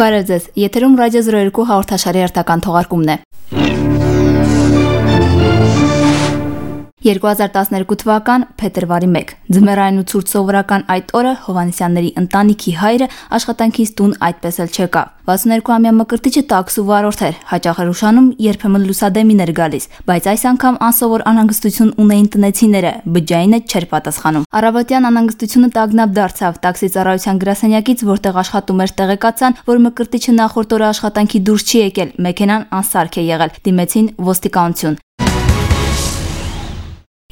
Բարև ձեզ, եթերում Ռադիո 02 հաղորդաշարի հերթական թողարկումն է։ 2012 թվական փետրվարի 1 ձմեռային ու ցուրտ սովորական այդ օրը Հովհաննիսյանների ընտանիքի հայրը աշխատանքից տուն այդպես էլ չեկավ։ 62-ամյա Մկրտիչը տաքսու վարորդ էր, հաճախ էր ուշանում, երբեմն լուսադեմին էր գալիս, բայց այս անգամ անսովոր անհանգստություն ունեին տնեցիները, բջջայինը չէր պատասխանում։ Առավոտյան անհանգստությունը տագնապ դարձավ, տաքսի ծառայության գրասենյակից, որտեղ աշխատում էր, տեղեկացան, որ Մկրտիչը նախորդ օրը աշխատանքի դուրս չի եկել, մեքենան անսարք է եղել, դիմեցին ոստիկանություն։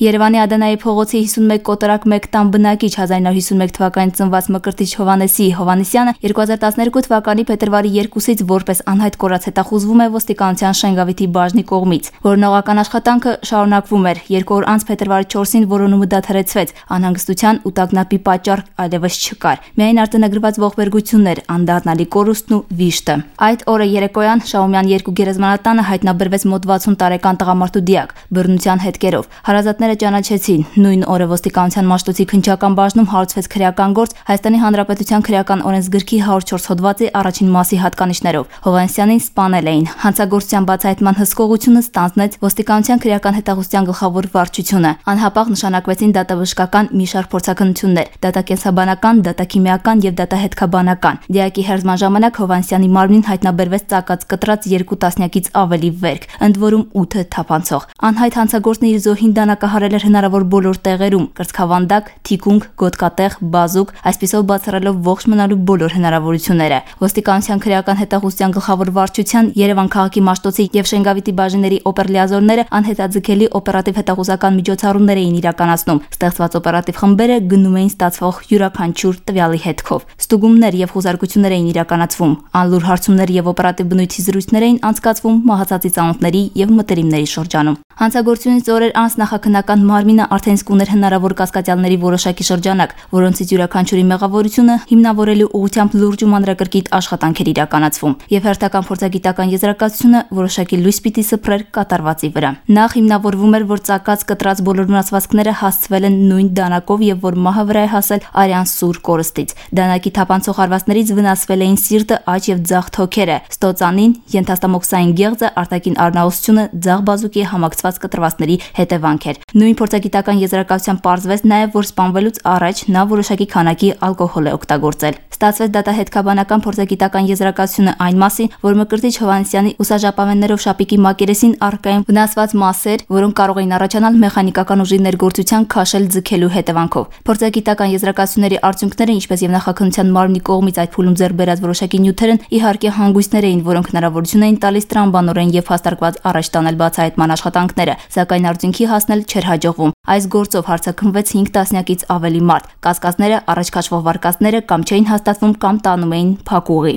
Երևանի Ադենայի փողոցի 51 կոտորակ 1 տան բնակիչ 1951 թվականին ծնված Մկրտիչ Հովհաննեսի Հովհաննիսյանը 2012 թվականի փետրվարի 2-ից որպես անհայտ կորած հետախուզվում է ոստիկանության Շենգավիթի բաժնի կողմից։ Որոնողական աշխատանքը շարունակվում էր։ 2 օր անց փետրվարի 4-ին որոնումը դադարեցվեց։ Անհանգստության ու տագնապի պատճառ այլևս չկար։ Միայն արտանագրված ողբերգություններ, անդառնալի կորուստն ու վիշտը։ Այդ օրը երեկոյան Շաումյան 2 գերեզմանատանը հայտնաբերվեց մոտ 60 տարեկան տղամարդու դիակ բռնության հետքերով։ Հարազատները ճանաչեցին։ Նույն օրը ոստիկանության Մաշտոցի քննչական բաժնում հարուցվեց քրեական գործ Հայաստանի Հանրապետության քրեական օրենսգրքի 104 հոդվածի առաջին մասի հատկանիշներով։ Հովհաննիսյանին սպանել էին։ Հանցագործության բացահայտման հսկողությունը ստանձնեց ոստիկանության քրեական հետախուզության գլխավոր վարչությունը։ Անհապաղ նշանակվեցին դատաբժշկական մի շարք փորձաքննություններ՝ դատակենսաբանական, դատաքիմիական եւ դատահետքաբանական։ Դիակի հերձման ժամանակ Հովհաննիսյանի մարմնին հայտնաբերվեց ծակած կտրած 2 տասնյակից ավելի վերք, ընդ որում 8 թափանցող։ Անհայտ հանցագործն իր զոհին դանակահարել էր հնարավոր բոլոր տեղերում՝ կրծքավանդակ, թիկունք, գոտկատեղ, բազուկ, այսպիսով բացառելով ողջ մնալու բոլոր հնարավորությունները։ Ոստիկանության քրեական հետախուզության գլխավոր վարչության Երևան քաղաքի Մաշտոցի եւ Շենգավիթի բաժինների օպերլիազորները անհետաձգելի օպերատիվ հետախուզական միջոցառումներ էին իրականացնում։ Ստեղծված օպերատիվ խմբերը գնում էին ստացվող յուրաքանչյուր տվյալի հետքով։ Ստուգումներ եւ խոզարկություններ էին իրականացվում։ Անլուր հարցումներ եւ օպերատիվ բնույթի զրույցներ էին անցկացվում մահացածի ծանոթների եւ մտերիմների շրջանում։ Հանցագործությունից օրեր անց նախաքննական մարմինը արդեն իսկ ուներ հնարավոր կասկածյալների որոշակի շրջանակ, որոնցից յուրաքանչյուրի մեղավորությունը հիմնավորելու ուղղությամբ լուրջ ու մանրակրկիտ աշխատանք էր իրականացվում, եւ հերթական փորձագիտական եզրակացությունը որոշակի լույս պիտի սփռեր կատարվածի վրա։ Նախ հիմնավորվում էր, որ ծակած կտրած բոլոր վնասվածքները հասցվել են նույն դանակով եւ որ մահը վրա է հասել արյան սուր կորստից։ Դանակի թափանցող հարվածներից վնասվել էին սիրտը, աջ եւ ձախ թոքերը, ստոծանին, ենթաստամոքսային գեղձը, արտաքին առնահոսությունը, ձախ բազուկի համակցված կտրվածների հետևանք էր։ Նույն փորձագիտական եզրակացությամբ պարզվեց նաև, որ սպանվելուց առաջ նա որոշակի քանակի ալկոհոլ է օգտագործել։ Ստացվեց դատահետքաբանական փորձագիտական եզրակացությունը այն մասին, որ Մկրտիչ Հովհաննիսյանի ուսաժապավեններով շապիկի մակերեսին առկային վնասված մասեր, որոնք կարող էին առաջանալ մեխանիկական ուժի ներգործության քաշել ձգելու հետևանքով։ Փորձագիտական եզրակացությունների արդյունքները, ինչպես եւ նախաքննության մարմնի կողմից այդ փուլում ձեռք բերած որոշակի նյութերն իհարկե հանգույցներ էին, որոնք հնարավորություն էին տալիս տրամաբանորեն եւ հաստարկված առաջ տանել բացահայտման աշխատանքները, սակայն արդյունքի հասնել չէր հաջողվում։ Այս գործով հարցաքննվեց 5 տասնյակից ավելի մարդ։ Կասկածները, առաջ քաշվող վարկածները կամ չէին հաստատվում կամ տանում էին փակուղի։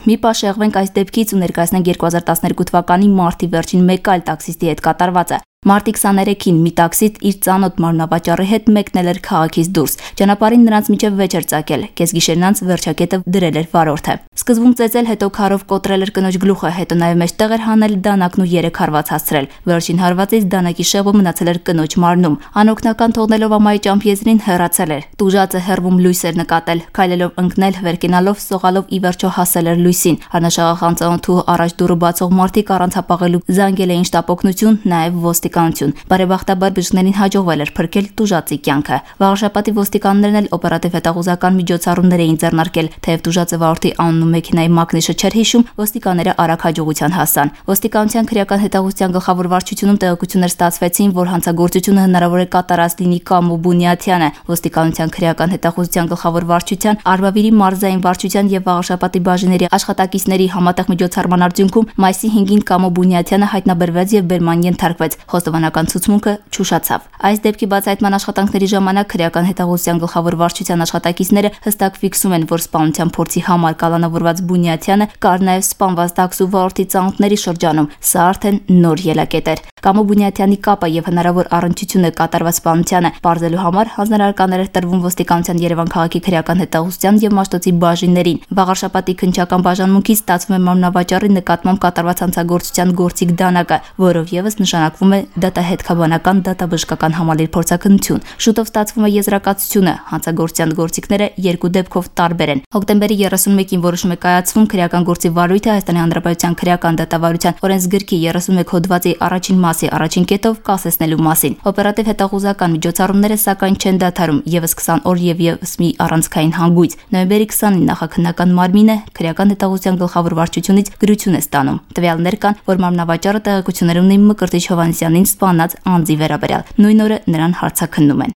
Մի պահ շեղվենք այս դեպքից ու ներկայացնենք 2012 թվականի մարտի վերջին մեկ այլ տաքսիստի հետ կատարվածը։ Մարտի 23-ին մի տաքսիստ իր ծանոթ մարմնավաճառի հետ մեկնել էր քաղաքից դուրս։ Ճանապարհին նրանց միջև վեճ էր ծագել։ Կեսգիշերն անց վերջակետը դրել էր վարորդը։ Սկզբում ծեծել, հետո քարով կոտրել էր կնոջ գլուխը, հետո նաև մեջտեղ էր հանել դանակն ու 3 հարված հասցրել։ Վերջին հարվածից դանակի շեղը մնացել էր կնոջ մարմնում։ Անօգնական թողնելով ամայի ճամփ-եզրին հեռացել էր։ Տուժածը հեռվում լույս էր նկատել, քայլելով ընկնել, վերկենալով, սողալով ի վերջո հասել էր լույսին։ Առնաշաղախան ծանոթու առաջ դուռը բացող մարդիկ առանց հապաղելու զանգել էին շտապօգնություն, նաև ոստիկանություն։ Բարեբախտաբար բժիշկներին հաջողվել էր փրկել տուժածի կյանքը։ Վաղաշաբաթի ոստիկաններն էլ օպերատիվ հետախուզական միջոցառումներ էին ձեռնարկել, թեև տուժածը վարորդի անունն ու մեքենայի մակնիշը չէր հիշում, ոստիկանները արագ հաջողության հասան։ Ոստիկանության քրեական հետախուզության գլխավոր վարչությունում տեղեկություններ ստացվեցին, որ հանցագործությունը հնարավոր է կատարած լինի Կամո Բունյաթյանը։ Ոստիկանության քրեական հետախուզության գլխավոր վարչության, Արվավիրի մարզային վարչության եւ Վաղաշաբաթի բաժինների աշխատակիցների համատեղ միջոցառման արդյունքում մայիսի 5-ին Կամո Բունյաթյանը հայտնաբերվեց եւ բերման ենթարկվեց։ Խոստովանական ցուցմունքը չուշացավ։ Այս դեպքի բացահայտման աշխատանքների ժամանակ քրեական հետախուզության գլխավոր վարչության աշխատակիցները հստակ ֆիքսում են, որ սպանության փորձի համար կալանավորված Բունյաթյանը կար նաև սպանված տաքսու վարորդի ծանոթների շրջանում։ Սա արդեն նոր ելակետ էր։ Կամո Բունյաթյանի կապը եւ հնարավոր առնչությունը կատարված սպանությանը բարձելու համար հանձնարարականներ էր տրվում ոստիկանության Երևան քաղաքի քրեական հետախուզության եւ Մաշտոցի բաժիններին։ Վաղարշապատի քննչական բաժանմունքից ստացվում է մարմնավաճառի նկատմամբ կատարված հանցագործության գործիք դանակը, որով եւս նշանակվում է դատահետքաբանական դատաբժշկական համալիր փորձաքննություն։ Շուտով ստացվում է եզրակացությունը, հանցագործության գործիքները երկու դեպքով տարբեր են։ Հոկտեմբերի 31-ին որոշում է կայացվում քրեական գործի վարույթը Հայաստանի Հանրապետության քրեական դատավարության օրենսգրքի 31 հոդվածի առաջին մասի առաջին կետով կասեցնելու մասին։ Օպերատիվ հետախուզական միջոցառումները սակայն չեն դադարում եւս 20 օր եւ եւս մի առանցքային հանգույց։ Նոյեմբերի 20-ին նախաքննական մարմինը քրեական հետախուզության գլխավոր վարչությունից գրություն է ստանում։ Տվյալներ կան, որ մարմնավաճառը տեղեկություններ ունի Մկրտիչ Հովհաննիսյանին սպանած անձի վերաբերյալ։ Նույն օրը նրան հարցաքննում են։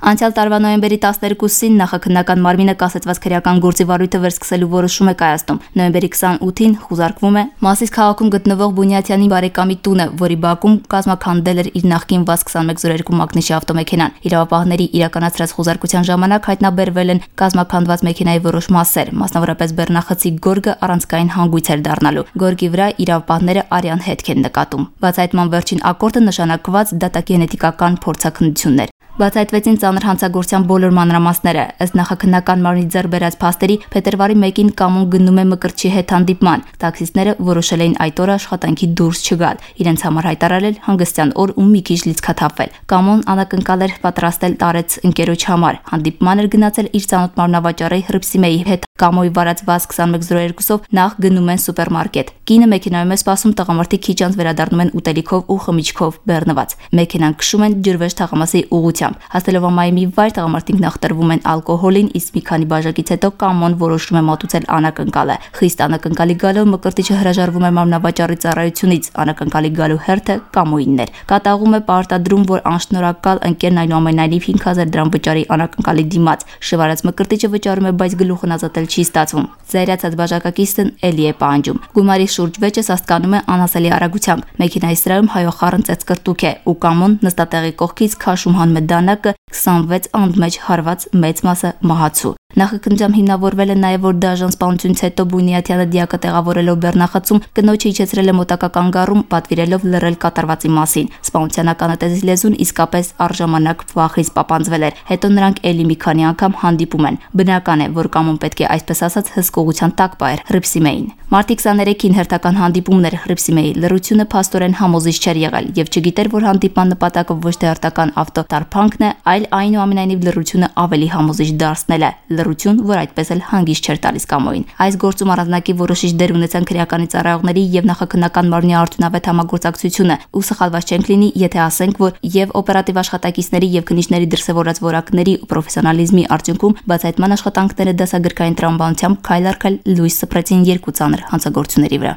Անցյալ տարվա նոյեմբերի 12-ին նախաքննական մարմինը կասեցված քրեական գործի վարույթը վերսկսելու որոշում է կայացնում։ Նոյեմբերի 28-ին խուզարկվում է Մասիս քաղաքում գտնվող Բունյաթյանի բարեկամի տունը, որի բակում կազմաքանդել էր իր նախկին ՎԱԶ-2102 մագնիշի ավտոմեքենան։ Իրավապահների իրականացրած խուզարկության ժամանակ հայտնաբերվել են կազմաքանդված մեքենայի որոշ մասեր, մասնավորապես բեռնախցի գորգը առանցքային հանգույց էր դառնալու։ Գորգի վրա իրավապահները արյան հետք են նկատում։ Բացահայտման վերջին ակորդը նշանակված դատագենետիկական փորձաքննություններ։ Բացահայտվեցին ծանր հանցագործության բոլոր մանրամասները։ Ըստ նախաքննական մարմնի ձեռք բերած փաստերի, փետրվարի 1-ին Կամոն գնում է Մկրտչի հետ հանդիպման։ Տաքսիստները որոշել էին այդ օրը աշխատանքի դուրս չգալ, իրենց համար հայտարարել հանգստյան օր ու մի քիչ լիցքաթափվել։ Կամոն անակնկալ էր պատրաստել տարեց ընկերոջ համար։ Հանդիպման էր գնացել իր ծանոթ մարմնավաճառի Հռիփսիմեի հետ։ Կամոյի վարած ՎԱԶ-2102-ով նախ գնում են սուպերմարկետ։ Կինը մեքենայում է սպասում, տղամարդիկ քիչ անց վերադառնում են ուտելիքով ու խմիչքով բեռնված։ Մեքենան քշում են Ջրվեժ թաղամասի ուղղությամբ։ Հասնելով ամայի մի վայր, տղամարդիկ նախ տրվում են ալկոհոլին, իսկ մի քանի բաժակից հետո Կամոն որոշում է մատուցել անակնկալը։ Խիստ անակնկալի գալով Մկրտիչը հրաժարվում է մարմնավաճառի ծառայությունից։ Անակնկալի գալու հերթը Կամոյինն էր։ Կատաղում է պարտադրում, որ անշնորհակալ ընկերն այնուամենայնիվ 5000 դրամ վճարի անակնկալի դիմաց։ Շվարած Մկրտիչը վճարում է, բայց գլուխն ազատել չի ստացվում։ Զայրացած բաժակակիցն էլի է պահանջում։ Գումարի շուրջ վեճը սաստկանում է անասելի արագությամբ։ Մեքենայի սրահում հայոխառն ծեծկրտուք է ու Կամոն նստատեղի կողքից քաշում հանում է դանակը 26 անդմեջ հարված մեծ մասը մահացու։ Նախաքննությամբ հիմնավորվել է նաև, որ դաժան սպանությունից հետո Բունյաթյանը դիակը տեղավորելով բեռնախցում կնոջը իջեցրել է մոտակա կանգառում, պատվիրելով լռել կատարվածի մասին։ Սպանության ականատեսի լեզուն իսկապես առժամանակ վախից պապանձվել էր։ Հետո նրանք էլի մի քանի անգամ հանդիպում են։ Բնական է, որ Կամոն պետք է այսպես ասած հսկողության տակ պահեր Հռիփսիմեին։ Մարտի 23-ին հերթական հանդիպումներ Հռիփսիմեի լռությունը փաստորեն համոզիչ չէր եղել եւ չգիտեր, որ հանդիպման նպատակը ոչ թե հերթական ավտոտարփանքն է, այլ այնուամենայնիվ լռությունը ավելի համոզիչ դարձնել է։ Լռություն, որ այդպես էլ հանգիստ չէր տալիս Կամոյին։ Այս գործում առանձնակի որոշիչ դեր ունեցան քրեականի ծառայողների եւ նախաքննական մարմնի արդյունավետ համագործակցությունը։ Ու սխալված չենք լինի, եթե ասենք, որ եւ օպերատիվ աշխատակիցների եւ քննիչների դրսեւորած որակների ու պրոֆեսիոնալիզմի արդյունքում բացահայտման աշխատանքները դասագրքային տրամաբանությամբ քայլ առ քայլ լույս սփռեցին երկու ծանր հանցագործությունների վրա։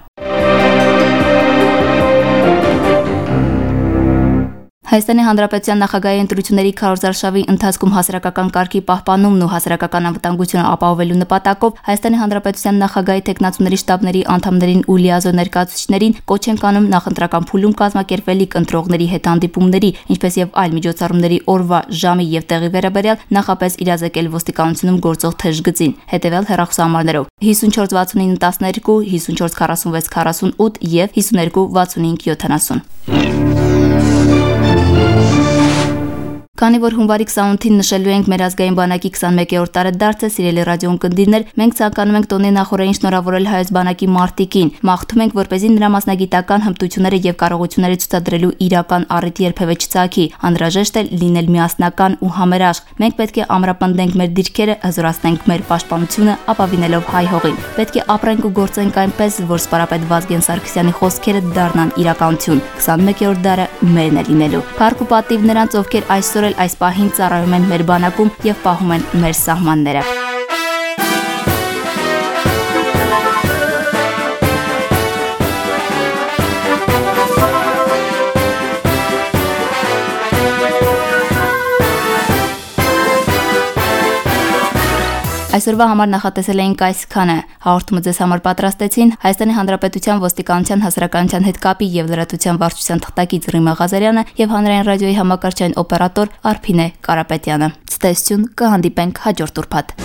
Հայաստանի Հանրապետության նախագահի ընտրությունների քարոզարշավի ընթացքում հասարակական կարգի պահպանումն ու հասարակական անվտանգությունը ապահովելու նպատակով Հայաստանի Հանրապետության նախագահի տեխնացուների շտաբների անդամներին ու լիազոր ներկայացուցիչներին կոչ են կանում նախընտրական փուլում կազմակերպվելիք ընտրողների հետ հանդիպումների, ինչպես եւ այլ միջոցառումների օրվա, ժամի եւ տեղի վերաբերյալ նախապես իրազեկել ոստիկանությունում գործող թեժ գծին, հետեւյալ հեռախոսահամարներով 54 69 12, 54 46 48 եւ 52 65 70։ Քանի որ հունվարի 28-ին նշելու ենք մեր ազգային բանակի 21-րդ տարեդարձը, սիրելի ռադիոընկերներ, մենք ցանկանում ենք տոնի նախորդին շնորհավորել հայոց բանակի մարտիկին։ Մաղթում ենք, որպեսզի նրա մասնագիտական հմտությունները եւ կարողությունները ցուցադրելու իրական առիթ երբևէ չծագի։ Անհրաժեշտ է լինել միասնական ու համերաշխ։ Մենք պետք է ամրապնդենք մեր դիրքերը, հզորացնենք մեր պաշտպանությունը, ապավինելով հայ հողին։ Պետք է ապրենք ու գործենք այնպես, որ սպարապետ Վազգեն Սարգսյանի խոսքերը դառնան իրականություն։ 21-րդ դարը մերն է լինելու։ Փառք ու պատիվ նրանց, ովքեր այսօր այս պահին ծառայում են մեր բանակում եւ պահում են մեր սահմանները։ Այսօրվա համար նախատեսել էինք այսքանը։ Հաղորդումը ձեզ համար պատրաստեցին Հայաստանի Հանրապետության ոստիկանության հասարակայնության հետ կապի եւ լրատվության վարչության թղթակից Ռիմա Ղազարյանը եւ հանրային ռադիոյի համակարգչային օպերատոր Արփինե Կարապետյանը։ Ցտեսություն, կհանդիպենք հաջորդ ուրբաթ։